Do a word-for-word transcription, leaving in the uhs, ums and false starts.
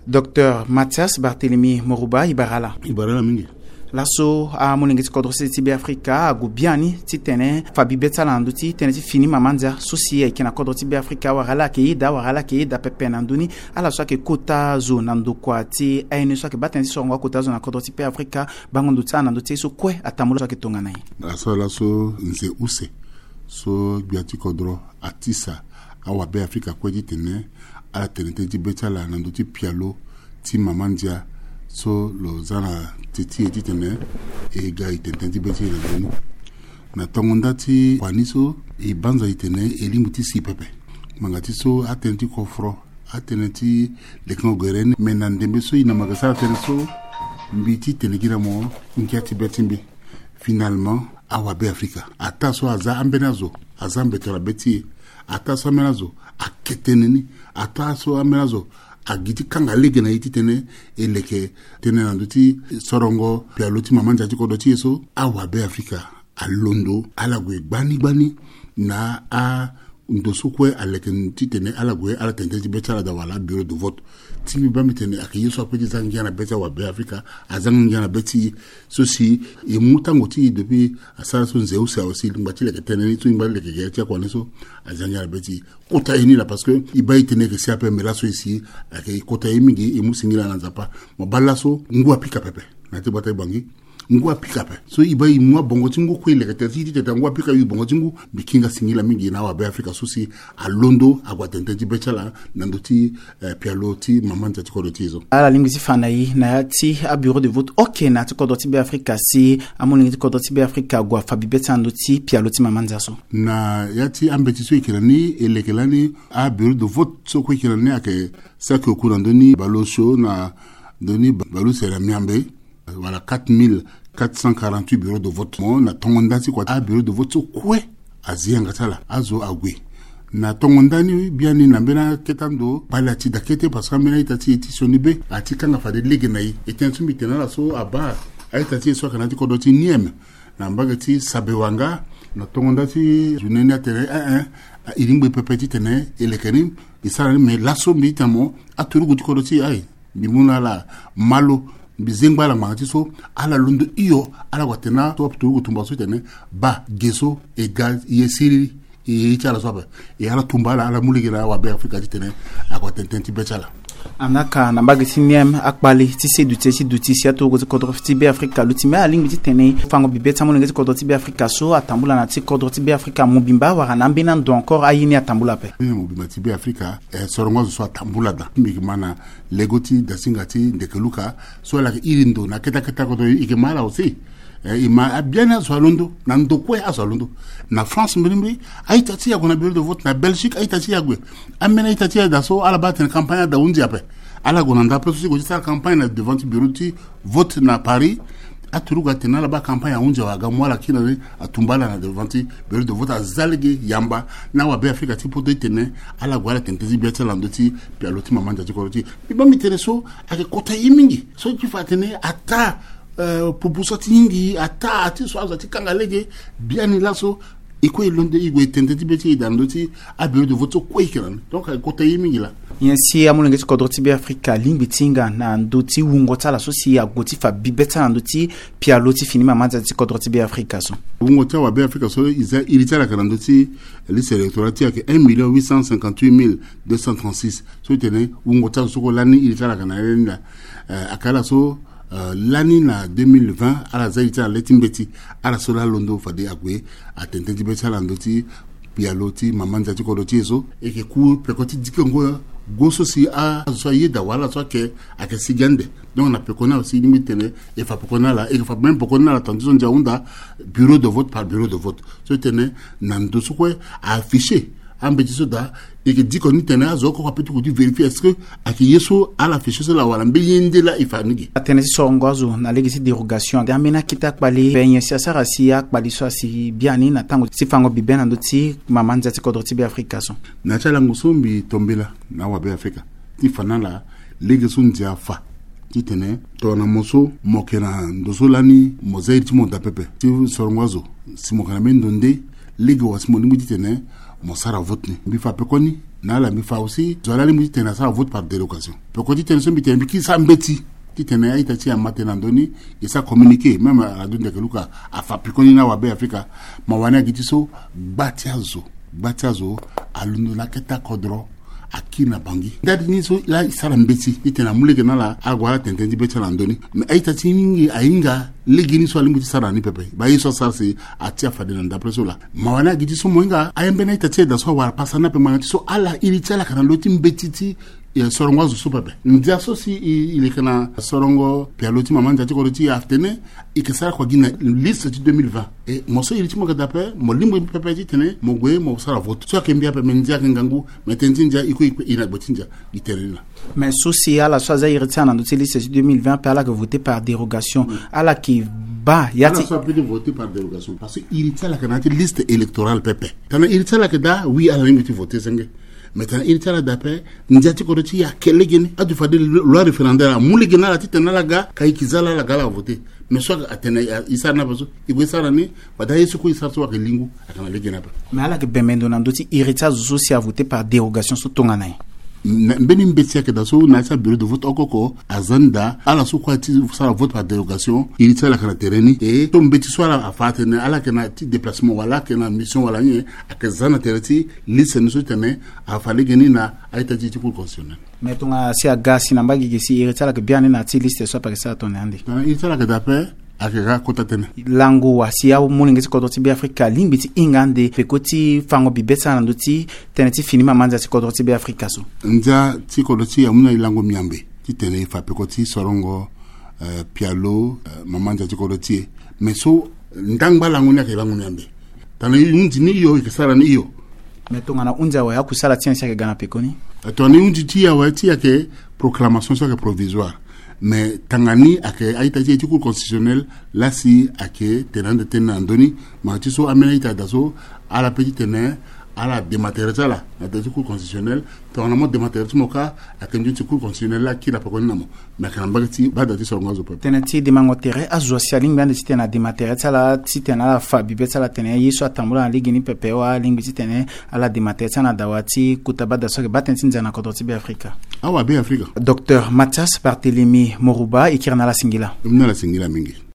Docteur Mathias Barthélemy Moruba, e bara ala. E bara ala mingi. Laso amolenge ti kodro sese ti Beafrika ague biani titene fa bibe ti ala na ndö ti tënë ti fini mama ndia so si ayeke na kodro ti Beafrika, wala ala yeke yeda, wala ala yeke yeda pepe na ndö ni. Ala so ayeke kota zo na ndokua ti aye ni so ayeke baa tënë ti sorongo akota zo na kodro ti Beafrika, bango ndo ti ala na ndö ti ye so kue atambula so ayeke tongana nyen? Laso laso nze use so gbia ti kodro atisa awabe Afrika kue titene ala tene tënë ti be ti ala na ndö ti pialo ti mama ndia so lo za na te ti e titene e ga e tene tënë ti be ti e na ndö ni. Na tongo nda ti kua ni so e banza e tene e lingbi ti si pepe. Ngbanga ti so atënë ti kofro, atënë ti lekengo gere ni, me na ndembe so e na ma yeke sara tënë so, mbi ti tene gi na mo ngia ti be ti mbi. Finalement, awabe Afrika, ataa so aza ambeni azo aza mbeto na be ti e. Ataa so ambeni azo ake tënë ni. Ataa so ambeni azo agi ti kanga lege na e titene e leke tënë na ndö ti sorongo pialo ti mama ndia ti kodro ti e so. Awabe Afrika alondo ala gue gbani gbani na a ndo so kue aleke titene ala gue ala tene tënë ti be ti ala daa wala abureau de vote. Ti mbi baa mbi tene ayeke ye so ape ti za ngia na be ti awabe Afrika, aza ngia na be ti e. So si e mu tango ti e depuis asara so nze use awe si e lingba ti leke tënë ni so e lingba ti leke gere ti akua ni so, aza ngia na be ti e. Kota ye ni laa parce que e baa e tene e yeke si ape, me laso e si ayeke e kota ye mingi, e mu singila na Nzapa. Mo baa laso ngu apika pepe na ya ti gbata ti Bangui. Ngu apika ape. So e baa e mu abongo ti ngu kue e leke tene ti tene ngu apika e bongo ti ngu. Mbi kinga singila mingi na awabe Afrika so si alondo ague atene tënë ti be ti ala na ndö ti, eh, pialo ti mama ndia ti kodro ti e so. Ala lingbi ti fa na e na ya ti abureau de vote oke na ya ti kodro ti Beafrika si amolenge ti kodro ti Beafrika ague afa bibe ti ala na ndö ti pialo ti mama ndia so? Na ya ti ambeti so e yeke na ni, e leke lani abureau de vote so kue e yeke na ni ayeke saki oku na ndö ni bale osio na ndö ni bale use na miambe. Wala quatre mille quatre cent quarante-huit bureau de vote. Mo na tongo nda ti kua abureau de vote so kue azi yanga ti ala, azo ague. Na tongo nda ni biani na mbeni akete ando kpale ati daa kete parce que ambeni a-ita ti e ti sioni be ati kanga fade lege na e. E tene so mbi tene na ala so abaa a-ita ti e so ayeke na ya ti kodro ti niem na mbage ti Sabewanga. Na tongo nda ti journée ni atene, eh, eh, e lingbi pepe titene e leke ni, e sara ni, me laso mbi ti tene mo aturugu ti kodro ti e aye. Mbi mu na ala malo, mbi zengba ala ngbanga ti so ala londo hio, ala gue atene na so aturugu tumba so tene baa ge so e ga ye siriri. E ye ti ala so ape. E ala tumba ala, ala mu lege na awabe Afrika titene ague atene tënë ti be ti ala. Anaka na mbage ti niem akpale ti se duti ye ti duti si aturugu ti kodro ti Beafrika aluti me alingbi titene fango bibe ti amolenge ti kodro ti Beafrika so atambula na ya ti kodro ti Beafrika mobimba wala na ambeni ando encore aye ni atambula ape? Ambeni mobimba ti Beafrika, eh, sorongo azo so atambula daa. Mbi yeke ma na lego ti dasinga ti ndeke luka so ala yeke iri ndo na kete kete kodro, e yeke ma ala aussi. Eh, e ma abiani azo alondo na ndo kue, azo alondo na France mbirimbiri. A-ita ti e ague na bureau de vote, na Belgique a-ita ti e ague. Ambeni a-ita ti e daa so ala baa atene campagne adaa hunzi ape. Ala gue na ndapre so ti gue ti sara campagne na devant ti bureau ti vote na Paris. Aturugu atene ala baa campagne ahunzi awe, aga mu ala kiri na ni, atumba ala na devant ti bureau de vote, aza lege yamba na awabe Afrika ti poto titene ala gue ala tene tënë ti be ti ala na ndö ti pialo ti mama ndia ti kodro ti e. Mbi baa mbi tene so ayeke kota ye mingi so ti fa atene ataa, eh, pupu so ati hingi, ataa ati so azo ati kanga lege. Biani laso e kue e londo e gue e tene tënë ti be ti e daa na ndö ti abureau de vote so kue e yeke na ni. Donc ayeke kota ye mingi laa. Nyen si amolenge ti kodro ti Beafrika alingbi ti hinga na ndö ti wungo ti ala so si ague ti fa bibe ti ala na ndö ti pialo ti fini mama ndia ti kodro ti Beafrika so? Wungo ti awabe Afrika so e za iri ti ala ayeke na ndö ti liste électorale ti e ayeke un million huit cent cinquante-huit mille deux cent trente-six. So e tene wungo ti azo so kue lani iri ti ala ayeke na ya ni laa. Eh, ayeke ala so, eh, lani na deux mille vingt ala za iri ti ala na le ti mbeti. Ala so laa alondo fade ague atene tënë ti be ti ala na ndö ti pialo ti mama ndia ti kodro ti e so. E yeke ku peko ti dikongo go so si azo so ayeda wala so ayeke, ayeke sigi ande. Donc na peko ni awe si e lingbi tene e fa peko ni ala, e yeke fa même peko ni ala tongana ti so ndia ahunda bureau de vote par bureau de vote. So e tene na ndo so kue a-afficher ambeti so daa, e yeke diko ni tene azo oko ape ti gue ti vérifier est-ce que ayeke ye so ala afficher so laa wala mbeni ye nde laa e fa ni ge. Atene ti sorongo azo na lege ti dérogation ade ambeni akete akpale, pe nyen si asara si akpale so asi biani na tango ti fango bibe na ndö ti mama ndia ti kodro ti Beafrika so? Na ya ti alango so mbi tombela na awabe Afrika ti fa na ala lege so ndia afa titene tongana mo so mo yeke na ndo so lani mo za iri ti mo daa pepe ti sorongo azo, si mo yeke na mbeni ndo nde, lege wa si mo lingbi titene Mo sara vote ni, mbi fa pekoni na ala, mbi fa aussi zo ala lingbi ti tene asara vote par dérogation. Pekoni ti tene so mbi tene mbi kiri sara mbeti ti tene a-ita ti e ama tënë na ndö ni, e sara communiqué, même Radio Ndeke Luka afa pekoni na awabe Afrika. Mo wani na gi ti so gba ti azo, gba ti azo alondo na akete akodro, akiri na Bangui. Ndali ni so laa e sara mbeti ti tene amu lege na ala, ague ala tene tënë ti be ti ala na ndö ni. Me a-ita ti e mingi ahinga lege ni so alingbi ti sara na ni pepe. Baa ye so asara si atia fade na ndapre so laa. Mo wani na gi ti so mo hinga aye mbeni a-ita ti e daa so awara pasa ni ape, ngbanga ti so ala iri ti ala ayeke na lo ti mbeti ti, eh, sorongo azo so pepe. Ndia so si e, e yeke na sorongo pialo ti mama ndia ti kodro ti e atene e yeke sara kua gi na liste ti deux mille vingt. E mo so iri ti mo ayeke daa ape, mo lingbi pepe ti tene mo gue mo sara vote. So ayeke mbi ape, me ndia ayeke ngangu, me tënë ti ndia e kue e kpe e na gbe ti ndia. Gi tënë ni laa. Mais so si ala so aza iri ti ala na ndö ti liste ti deux mille vingt ape, ala yeke voté par dérogation. Ala yeke baa ya ti, ala so ape ti voté par dérogation parce que iri ti ala ayeke na ya ti liste électorale pepe. Tana iri ti ala ayeke daa, oui, ala lingbi ti voté senge. Mais tana iri ti ala daa ape, ndia ti kodro ti e ayeke legeni. Adu fade loi référendaire amu lege na ala ti tene ala ga, ka e yeke za ala, ala ga ala voté. Mais so atene e sara ni ape so, e gue e sara ni. Fade aye so kue e sara so ayeke lingu, ayeke na legeni ape. Mais ala yeke bembe ndo na ndö ti iri ti azo so si avoté par dérogation so tongana nyen? Na mbeni mbeti ayeke daa so na ya ti abureau de vote oko oko aza ni daa, ala so kue aye ti sara vote par dérogation, iri ti ala ayeke na tere ni. E so mbeti so ala afa atene ala yeke na ya ti déplacement wala ayeke na mission wala nyen, ayeke za na tere ti liste ni so ti tene afa legeni na a-ita ti e ti Cour constitutionnelle. Mais tongana si aga si na mbage ge si iri ti ala ayeke biani na ya ti liste so ape ayeke sara tongana nyen ande? Tongana iri ti ala ayeke daa ape, ayeke ga kota tënë. Lango wa si amolenge ti kodro ti Beafrika alingbi ti hinga ande peko ti fango bibe ti ala na ndö ti tënë ti fini mama ndia ti kodro ti Beafrika so? Ndia ti kodro ti e amu na e lango miambe ti tene e fa peko ti sorongo, eh, pialo, eh, mama ndia ti kodro ti e. Mais so ndangba lango ni ayeke lango miambe. Tongana e hunzi ni hio, e yeke sara ni hio. Mais tongana hunzi awe, akusala ti e si ayeke ga na pekoni? Eh, tongana e hunzi ti e awe, ti e ayeke proclamation so ayeke provisoire. Mais tanga ni ayeke a-ita ti e ti Cour constitutionnelle laa si ayeke tene ande tënë na ndö ni. Ngbanga ti so ambeni a-ita daa so ala pe ti tene ala dema tere ti ala na tere ti Cour constitutionnelle. Tongana mo dema tere ti mo kâ, ayeke nzoni ti Cour constitutionnelle laa akiri na pekoni na mo. Me ayeke na mbage ti bada ti sorongo azo pepe. Tënë ti demango tere, azo asi alingbi ande ti tene adema tere ti ala ti tene ala fa bibe ti ala tene ye so atambula na legeni pepe, wala alingbi ti tene ala dema tere ti ala na dawa ti kota bada so ayeke baa tënë ti ndia na kodro ti Beafrika? Awabe Afrika. Docteur Mathias Barthélemy Morouba, e kiri na ala singila. E mu na ala singila mingi.